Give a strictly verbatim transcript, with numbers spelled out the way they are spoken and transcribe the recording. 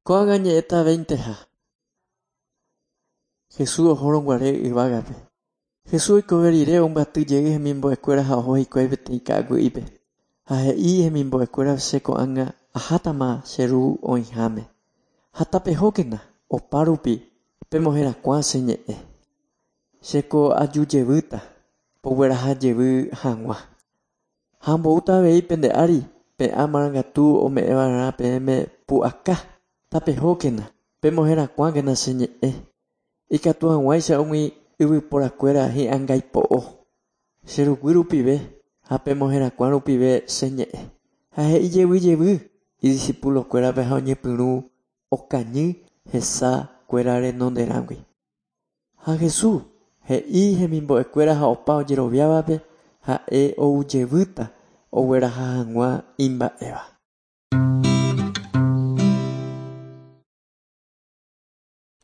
Ko'ág̃a ñe'ẽta veinteha. Jesús ohórõguare yvágape. Jesús oikove rire ombyatyjey hemimbo'ekuéra ha oho hikuái peteĩ ka'aguy'ípe. Ha he'i hemimbo'ekuéra che ko'ág̃a ahátama che ru oĩháme. Ha tapehókena opárupi pemoherakuã che ñe'ẽ. Chéko ajujevýta poguerahajevy hag̃ua. Ha amboúta avei pende ári pe'ã marangatu ome'ẽva'erã peẽme pu'aka. Tapehókena pemoherakuãkena che ñe'ẽ. Ikatu hag̃uáicha umi yvyporakuéra hi'angaipo'o. Che ruguy rupive ha pemoherakuã rupive che ñe'ẽ. Ha he'i jevyjevy idiscipulokuérape ha oñepyrũ okañy hesakuéra renonderãgui. Ha Jesús he'i hemimbo'ekuéra ha opa ojeroviávape ha'e oujevýta ogueraha hag̃ua imba'éva.